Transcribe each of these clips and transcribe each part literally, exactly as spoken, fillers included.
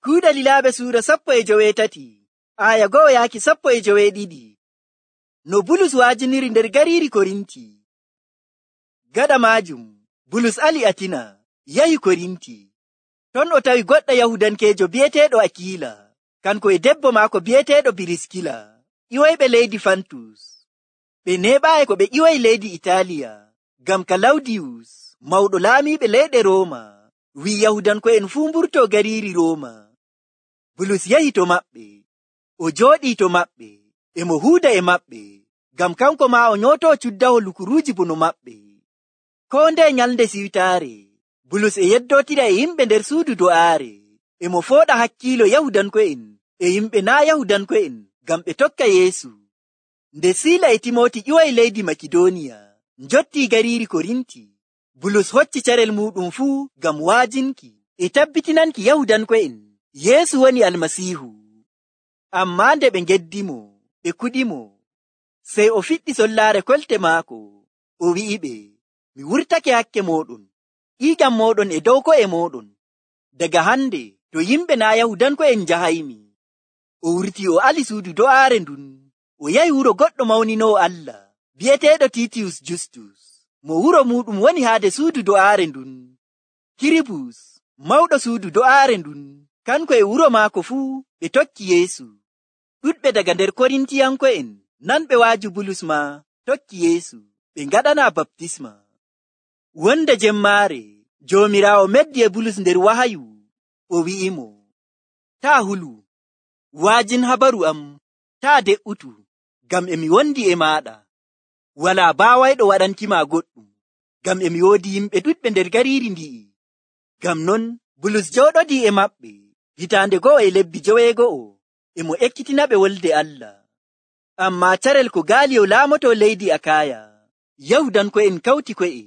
Kuuɗe Lilaaɓe suura sappo e joweetati, aya go'o yaaki sappo e joweeɗiɗi. No Bulus waajiniri nder gariiri Korinti. Gaɗa maajum, Bulus ali Atina, yahi Korinti. Ton o tawi goɗɗo Yahudankeejo bi'eteeɗo Akiila, kanko e debbo maako bi'eteeɗo Biriskila, ƴiwoyɓe leydi Fantus. Ɓe neeɓaayi ko ɓe ƴiwoyi leydi Itaaliya, ngam Kalawdiyus, mawɗo laamiiɓe leyɗe Rooma, wi'i Yahudanko'en fuu mburtoo gariiri Rooma. Bulus yahi to maɓɓe, o jooɗii to maɓɓe, e mo huuda e maɓɓe, ngam kanko maa o nyootoo cuddaho lukuruuji bono maɓɓe. Koo ndeye nyalnde siwtaare, Bulus e yeddootira e yimɓe nder suudu do'aare, e mo fooɗa hakkiilo Yahudanko'en e yimɓe naa' Yahudanko'en ngam ɓe tokka Yeesu. Nde Siila e Timooti ƴiwoyi leydi Makidooniya, njottii gariiri Korinti, Bulus hocci carel muuɗum fuu ngam wa'ajinki e tabbitinanki Yahudanko'en Yeesu woni Almasiihu. Ammaa nde ɓe ngeddimo, ɓe kuɗimo, sey o fiɗɗi sollaare kolte maako, o wi'iɓe, mi wurtake hakke mooɗon, ƴiiƴam mooɗon e dow ko'e mooɗon. Daga hande to yimɓe naa' Yahudanko'en njahaymi. O wurtii o ali suudu do'aare ndun, o yahi wuro goɗɗo mawninoowo Allah, bi'eteeɗo Tiitiyus Justus, mo wuro muuɗum woni haade suudu do'aare ndun. Kiribus, mawɗo suudu do'aare ndun, kanko e wuro maako fuu ɓe tokki Yeesu. Ɗuɗɓe daga nder Korintiyanko'en nanɓe waaju Bulus maa tokki Yeesu, ɓe ngaɗanaa baptisma. Wonde jemmaare, Joomiraawo meddi e Bulus nder wahayu, o wi'imo, taa hulu, waajin habaru am, taa de'utu, ngam e mi wondi e maaɗa. Walaa baawayɗo waɗankima goɗɗum, ngam e mi woodi yimɓe ɗuɗɓe nder gariiri ndi'i. Ngam non, Bulus jooɗodii e maɓɓe hitaande go'o e lebbi joweego'o, e mo ekkitinaɓe wolde Allah. Ammaa carel ko Gaaliyo laamotoo leydi Akaaya, Yahudanko'en kawti ko'e,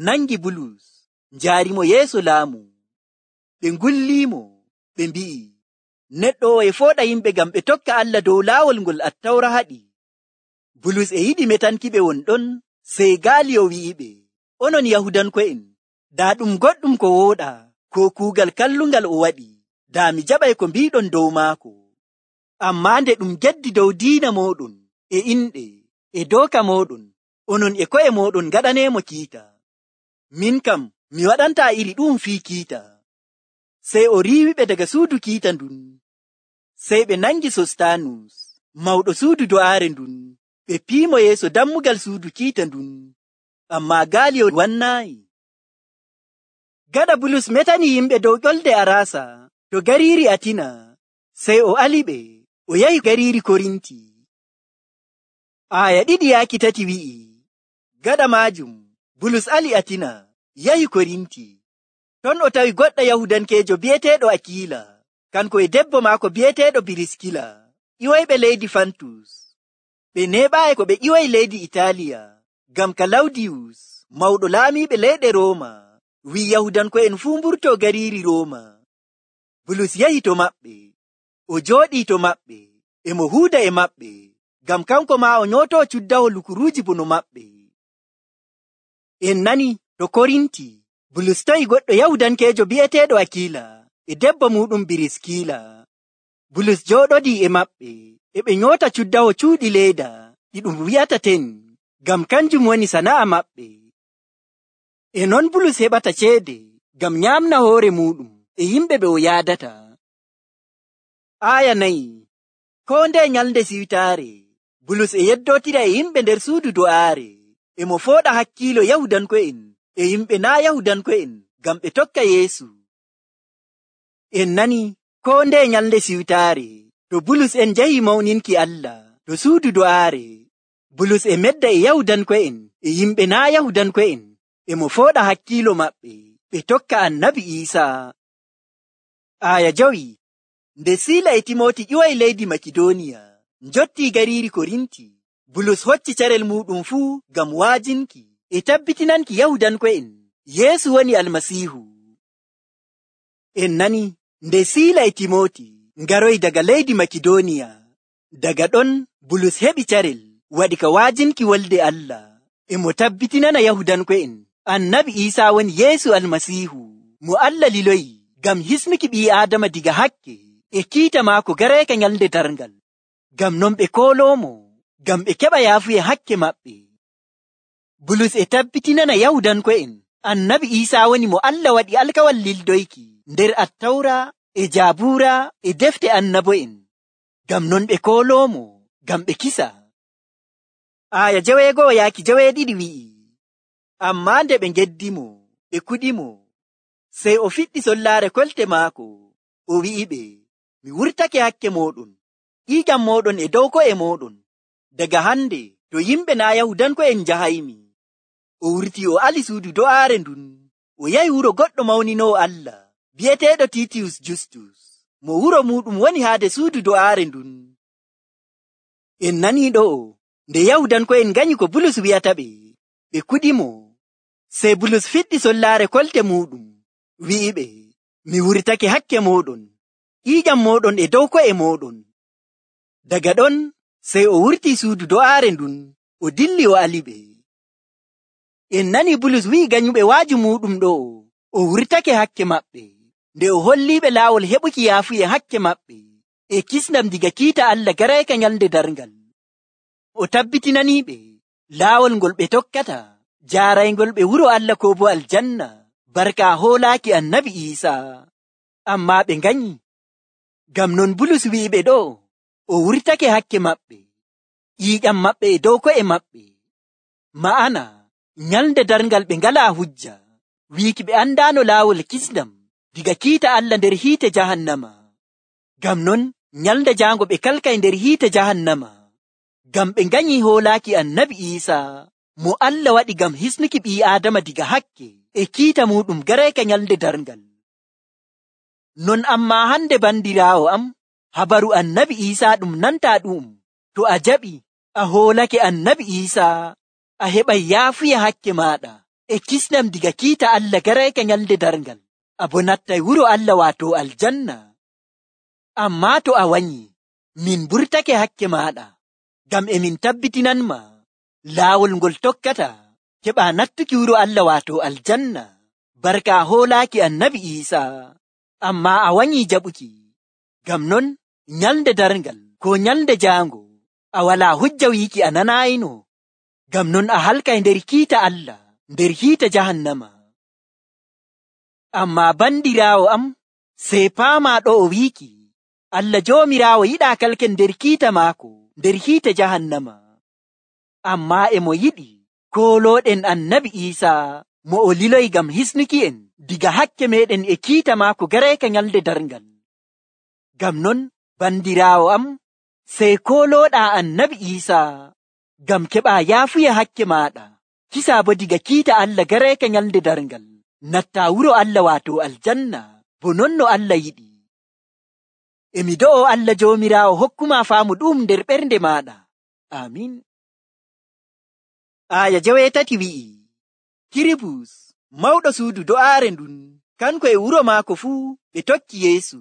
nangi Bulus, njaarimo yeeso laamu. Ɓe ngulliimo, ɓe mbi'i, neɗɗo o e fooɗa yimɓe ngam ɓe tokka Allah dow laawol ngol Attawra haɗi. Bulus e yiɗi metankiɓe won ɗon, sey Gaaliyo wi'iɓe, onon Yahudanko'en, daa ɗum goɗɗum ko wooɗaa, ko kuugal kallungal o waɗi, daa mi jaɓay ko mbiiɗon dow maako. Ammaa nde ɗum geddi dow diina mooɗon, e inɗe, e dooka mooɗon, onon e ko'e mooɗon ngaɗaneemo kiita. Min kam, mi waɗantaa iri ɗum fii kiita. Sey o riiwiɓe daga suudu kiita ndun. Sey ɓe nangi Sostanus, mawɗo suudu do'aare ndun, ɓe piimo yeeso dammugal suudu kiita ndun. Ammaa Gaaliyo wannaayi. Gaɗa Bulus metani yimɓe dow ƴolde Araasa to gariiri Atina, sey o aliɓe, o yahi gariiri Korinti. Aya ɗiɗi yaaki tati wi'i, gaɗa maajum, Bulus ali Atina, yahi Korinti. Ton o tawi goɗɗo Yahudankeejo bi'eteeɗo Akiila, kanko e debbo maako bi'eteeɗo Biriskila, ƴiwoyɓe leydi Fantus. Ɓe neeɓaayi ko ɓe ƴiwoyi leydi Itaaliya, ngam Kalawdiyus, mawɗo laamiiɓe leyɗe Rooma, wi'i Yahudanko'en fuu mburtoo gariiri Rooma. Bulus yahi to maɓɓe, o jooɗii to maɓɓe, e mo huuda e maɓɓe, ngam kanko maa o nyootoo cuddaho lukuruuji bono maɓɓe. En nani to Korinti, Bulus tawi goɗɗo Yahudankeejo bi'eteeɗo Akiila e debbo muuɗum Biriskila. Bulus jooɗodii e maɓɓe, e ɓe nyoota cuddaho cuuɗi leeda ɗi ɗum wi'ata ten, ngam kanjum woni sana'a maɓɓe. E non Bulus heɓata ceede ngam nyaamna hoore muuɗum e yimɓe ɓe o yaadata. Aya nayi. Koo ndeye nyalnde siwtaare, Bulus e yeddootira e yimɓe nder suudu do'aare, e mo fooɗa hakkiilo Yahudanko'en e yimɓe naa' Yahudanko'en ngam ɓe tokka Yeesu. En nani, koo ndeye nyalnde siwtaare, to Bulus en njahi mawninki Allah to suudu do'aare, Bulus e medda e Yahudanko'en e yimɓe naa' Yahudanko'en, e mo fooɗa hakkiilo maɓɓe ɓe tokka Annabi Iisaa. Aya jowi. Nde Siila e Timooti ƴiwoyi leydi Makidooniya, njottii gariiri Korinti, Bulus hocci carel muuɗum fuu ngam wa'ajinki e tabbitinanki Yahudanko'en Yeesu woni Almasiihu. En nani, nde Siila e Timooti ngaroyi daga leydi Makidooniya, daga ɗon Bulus heɓi carel waɗi ka wa'ajinki wolde Allah, e mo tabbitinana Yahudanko'en Annabi Iisaa woni Yeesu Almasiihu, mo Allah liloyi ngam hisnuki ɓii Aadama diga hakke e kiita maako gareeka nyalnde darngal. Ngam non ɓe kooloomo, ngam ɓe keɓa yaafuye hakke maɓɓe. Bulus e tabbitinana Yahudanko'en Annabi Iisaa woni mo Allah waɗi alkawal lildoyki nder Attawra e Jaabuura e defte annabo'en. Ngam non ɓe kooloomo, ngam ɓe kisa. Aaya jeweego'o yaaki jeweeɗiɗi wi'i, ammaa nde ɓe ngeddimo, ɓe kuɗimo, sey o fiɗɗi sollaare kolte maako, o wi'iɓe, mi wurtake hakke mooɗon, ƴiiƴam mooɗon e dow ko'e mooɗon. Daga hande to yimɓe naa Yahudanko'en njahaymi. O wurtii o ali suudu do'aare ndun, o yahi wuro goɗɗo mawninoowo Allah, bi'eteeɗo Tiitiyus Justus, mo wuro muuɗum woni haade suudu do'aare ndun. En nanii ɗo'o, nde Yahudanko'en nganyi ko Bulus wi'ata ɓe, ɓe kuɗimo. Sey Bulus fiɗɗi sollaare kolte muuɗum, wi'iɓe, mi wurtake hakke mooɗon, ƴiiƴam mooɗon e dow ko'e mooɗon. Daga ɗon, sey o wurtii suudu do'aare ndun, o dilli o aliɓe. En nani Bulus wi'i ganyuɓe waaju muuɗum ɗo'o, o wurtake hakke maɓɓe, nde o holliiɓe laawol heɓuki yaafuye hakke maɓɓe, e kisndam diga kiita Allah gareeka nyalnde darngal. O tabbitinaniiɓe laawol ngol ɓe tokkata, jaarayngol ɓe wuro Allah koo bo aljanna, barka hoolaaki Annabi Iisaa. Ammaa ɓe nganyi. Ngam non Bulus wi'iɓe ɗo, o wurtake hakke maɓɓe, ƴiiƴam maɓɓe e dow ko'e maɓɓe. Ma'ana, nyalnde darngal ɓe ngalaa hujja, wiiki ɓe andaano laawol kisndam diga kiita Allah nder hiite jahannama. Ngam non, nyalnde jaango ɓe kalkay nder hiite jahannama, ngam ɓe nganyi hoolaaki Annabi Iisaa, mo Allah waɗi ngam hisnuki ɓii Aadama diga hakke e kiita muuɗum gareeka nyalnde darngal. Non ammaa hande bandiraawo am, habaru Annabi Iisaa ɗum nantaa ɗum. To a jaɓi, a hoolake Annabi Iisaa, a heɓay yaafuya hakke maaɗa e kisnam diga kiita Allah gareeka nyalnde darngal. A bo nattay wuro Allah waato aljanna. Ammaa to a wanyi, min burtake hakke maaɗa, ngam e min tabbitinanma laawol ngol tokkata keɓa nattuki wuro Allah waato aljanna, barka hoolaaki Annabi Iisaa. Ammaa a wanyi jaɓuki. Ngam non, nyalnde darngal ko nyalnde jaango, a walaa hujja wiiki a nanaayino. Ngam non a halkay nder kiita Allah, nder hiite jahannama. Ammaa bandiraawo am, sey paamaa ɗo o wiiki, Allah Joomiraawo yiɗaa kalken nder kiita maako, nder hiite jahannama. Ammaa e mo yiɗi koolooɗen Annabi Iisaa, mo o liloy ngam hisnuki en diga hakke meeɗen e kiita maako gareeka nyalnde darngal. Ngam non, bandiraawo am, sey koolooɗaa Annabi Iisaa, ngam keɓaa yaafuya hakke maaɗa, kisaa bo diga kiita Allah gareeka nyalnde darngal, nattaa wuro Allah waato aljanna, bo non no Allah yiɗi. Emi do'o Allah Joomiraawo hokkumaa faamu ɗum nder ɓernde maaɗa. Amiin. Aaya jeweetati wi'i, Kiribus, mawɗo suudu do'aare ndun, kanko e wuro maako fuu ɓe tokki Yeesu.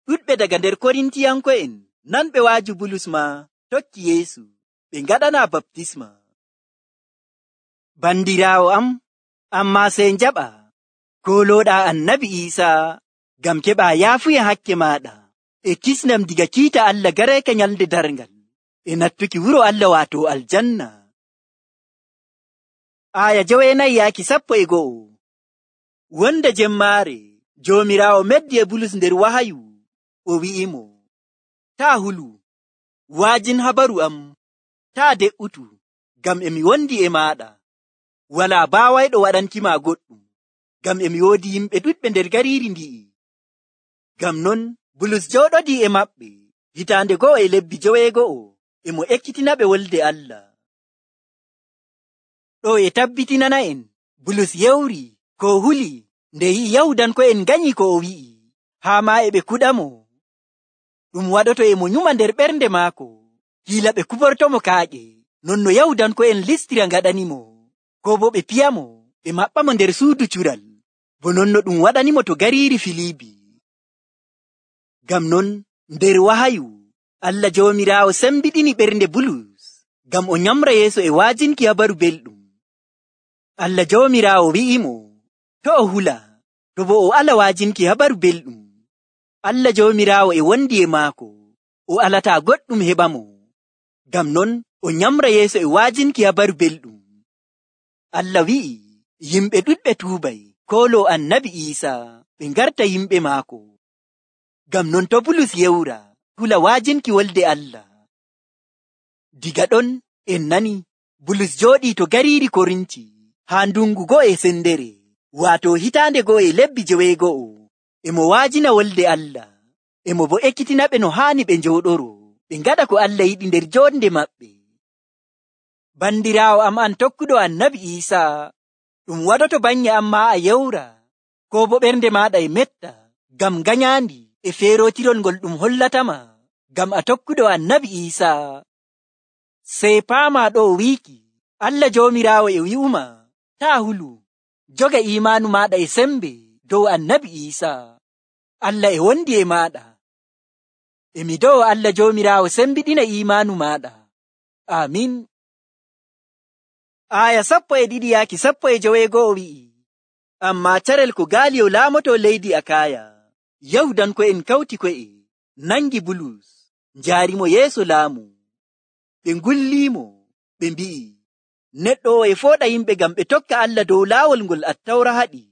Ɗuɗɓe daga nder Korintiyanko'en nanɓe waaju Bulus maa tokki Yeesu, ɓe ngaɗanaa baptisma. Bandiraawo am, ammaa sey njaɓa koolooɗaa Annabi Iisaa, ngam keɓaa yaafuya hakke maaɗa e kisnam diga kiita Allah gareeka nyalnde darngal, e nattuki wuro Allah waato aljanna. Aaya joweenayi yaaki sappo e go'o. Wonde jemmaare, Joomiraawo meddi e Bulus nder wahayu, o wi'imo, taa hulu, waajin habaru am, taa de'utu, ngam emi wondi e maaɗa. Walaa baawayɗo waɗankima goɗɗum, ngam emi woodi yimɓe ɗuɗɓe nder gariiri ndi'i. Ngam non, Bulus jooɗodii e maɓɓe hitaande go'o e lebbi joweego'o, e mo ekkitinaɓe wolde Allah. Ɗo e tabbitinana en, Bulus yewri ko huli nde yi'i Yahudanko'en nganyi ko o wi'i, haa maa e ɓe kuɗamo. Ɗum waɗoto e mo nyuma nder ɓernde maako, hiila ɓe kubortomo kaaƴe, non no Yahudanko'en Listira ngaɗanimo, ko bo ɓe piyamo, ɓe maɓɓamo nder suudu cural, bo non no ɗum waɗanimo to gariiri Filiibi. Ngam non, nder wahayu, Allah Joomiraawo sembiɗini ɓernde Bulus, ngam o nyamra yeeso e waajinki habaru belɗum. Allah Joomiraawo wi'imo, to o hula, To bo o ala waajinki habaru belɗum, Allah Joomiraawo e wondi e maako, o alataa goɗɗum heɓamo. Ngam non o nyamra yeeso e waajinki habaru belɗum. Allah wi'i yimɓe ɗuɗɓe tuubay kooloo Annabi Iisaa ɓe ngarta yimɓe maako. Ngam non to Bulus yewra hula waajinki wolde Allah. Diga ɗon en nani Bulus jooɗii to gariiri Korinti haa ndungu go'o e sendere, waato hitaande go'o e lebbi joweego'o, e mo waajina wolde Allah, e mo bo ekkitina ɓe no haani ɓe njooɗoro, ɓe ngaɗa ko Allah yiɗi nder joonde maɓɓe. Bandiraawo am an tokkuɗo Annabi Iisaa, ɗum waɗoto baŋnge am maa a yewra, ko bo ɓernde maaɗa e metta, ngam ganyaandi e feerootirol ngol ɗum hollatama, ngam a tokkuɗo Annabi Iisaa. Sey paamaa ɗo wiiki, Allah Joomiraawo e wi'uma, taa hulu, joga iimaanu maaɗa e sembe dow Annabi Iisaa. Allah e wondi e maaɗa. E mi dow Allah Joomiraawo sembiɗina iimaanu maaɗa. Amin. Aya sappo e ɗiɗi yaaki sappo e joweego'o wi'i, ammaa carel ko Gaaliyo laamoto leydi Akaaya, Yahudanko'en kawti ko'e, nangi Bulus, njaarimo yeeso laamu. Ɓe ngulliimo, ɓe mbi'i, neɗɗo o e fooɗa yimɓe ngam ɓe tokka Allah dow laawol ngol Attawra haɗi.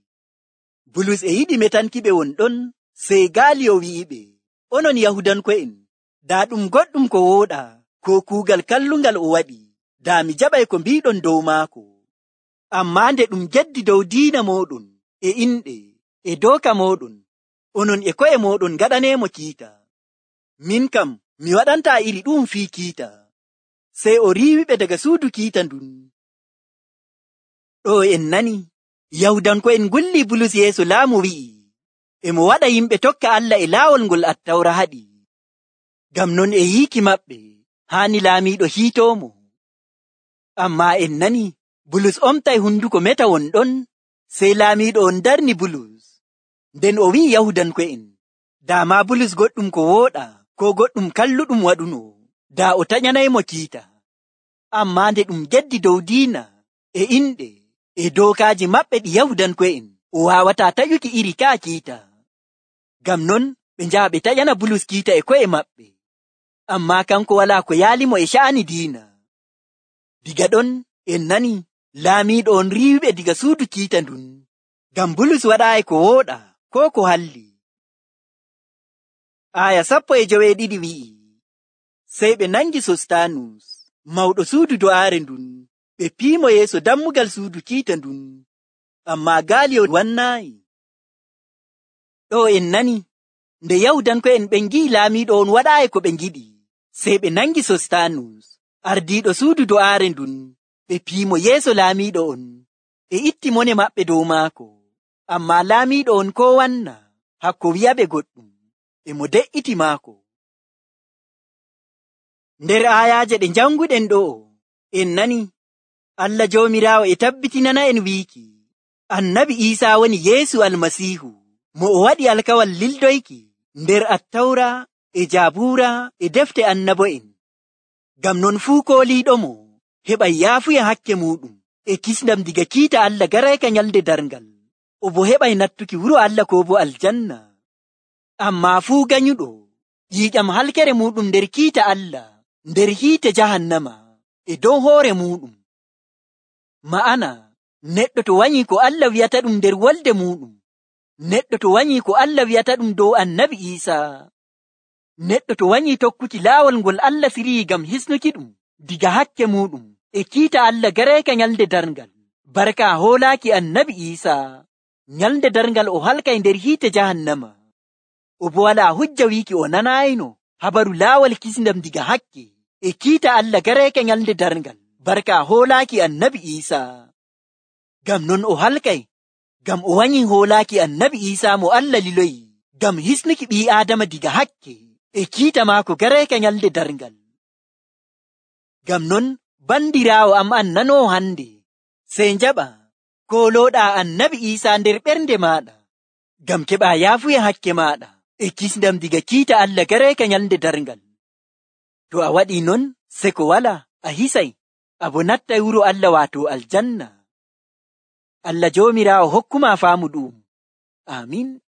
Bulus e yiɗi metankiɓe won ɗon, sey Gaaliyo wi'iɓe, onon Yahudanko'en, daa ɗum goɗɗum ko wooɗa, ko kuugal kallungal o waɗi, daa mi jaɓay ko mbiɗon dow maako. Ammaa nde ɗum geddi dow diina mooɗon, e inɗe, e dooka mooɗon, onon e ko'e mooɗon ngaɗaneemo kiita. Min kam, mi waɗantaa iri ɗum fii kiita. Sey o riiwiɓe daga suudu kiita ndun. Ɗo en nani, Yahudanko'en ngulli Bulus yeeso laamu wi'i, e mo waɗa yimɓe tokka Allah e laawol ngol Attawra haɗi. Ngam non e yiiki maɓɓe, haani laamiiɗo hiitoomo. Ammaa en nani, Bulus omtay hunduko meta won ɗon, sey laamiiɗo on darni Bulus. Nden o wi'i Yahudanko'en, daa maa Bulus goɗɗum ko wooɗa, ko goɗɗum kalluɗum waɗuno, daa o taƴanaymo kiita. Ammaa nde ɗum geddi dow diina, e inɗe, e dookaaji maɓɓe ɗi Yahudanko'en, o waawataa taƴuki iri kaa kiita. Ngam non ɓe njaha ɓe taƴana Bulus kiita e ko'e maɓɓe. Ammaa kanko walaa ko yaalimo e sha'ani diina. Diga ɗon en nani laamiiɗo on riiwiɓe diga suudu kiita ndun, ngam Bulus waɗaayi ko wooɗa, ko ko halli. Aya sappo e joweeɗiɗi wi'i, sey ɓe nangi Sostanus, mawɗo suudu do'aare ndun, ɓe piimo yeeso dammugal suudu kiita ndun, ammaa Gaaliyo wannaayi. Ɗo en nani, nde Yahudanko'en ɓen ngi'i laamiiɗo on waɗaayi ko ɓe ngiɗi, sey ɓe nangi Sostanus, ardiiɗo suudu do'aare ndun, ɓe piimo yeeso laamiiɗo on, e itti mone maɓɓe dow maako. Ammaa laamiiɗo on ko wanna, hakko wi'aɓe goɗɗum, e mo de'iti maako. Nder aayaaje ɗe janguɗen ɗo, en nani, Allah Joomiraawo e tabbitinana en wiiki, Annabi Iisaa woni Yeesu Almasiihu, mo o waɗi alkawal lildoyki nder Attawra e Jaabuura e defte annabo'en. Ngam non fuu kooliiɗomo heɓay yaafuya hakke muuɗum e kisndam diga kiita Allah garayka nyalde darngal, o bo heɓay nattuki wuro Allah ko bo aljanna. Ammaa fuu ganyuɗo yiiƴam halkere muuɗum nder kiita Allah, nder hiite jahannama, e dow hoore muuɗum. Ma'ana, neɗɗo to wanyii ko Allah wi'ata ɗum nder wolde muuɗum, neɗɗo to wanyii ko Allah wi'ata ɗum dow Annabi Iisaa, neɗɗo to wanyii tokkuki laawol ngol Allah firii ngam hisnuki ɗum diga hakke muuɗum e kiita Allah garayka nyalde darngal, barka hoolaaki Annabi Iisaa, nyalde darngal o halkay nder hiite jahannama, o bo walaa hujja wiiki o nanaayino habaru laawol kisndam diga hakke e kiita Allah garayka nyalde darngal, barka hoolaaki Annabi Iisaa. Ngam non o halkay, ngam o wanyii hoolaaki Annabi Iisaa mo Allah liloyi, ngam hisnuki ɓii Aadama diga hakke e kiita maako garayka nyalde darngal. Ngam non bandiraawo am an nanoo hande, sey njaɓa koolooɗaa Annabi Iisaa nder ɓernde maaɗa, ngam keɓaa yaafuya hakke maaɗa e kisndam diga kiita Allah garayka nyalde darngal. To a waɗii non, seko wala a hisay, abo nattay wuro Allah waato aljanna. Allah Joomiraawo hokkuma faamu ɗum. Amin.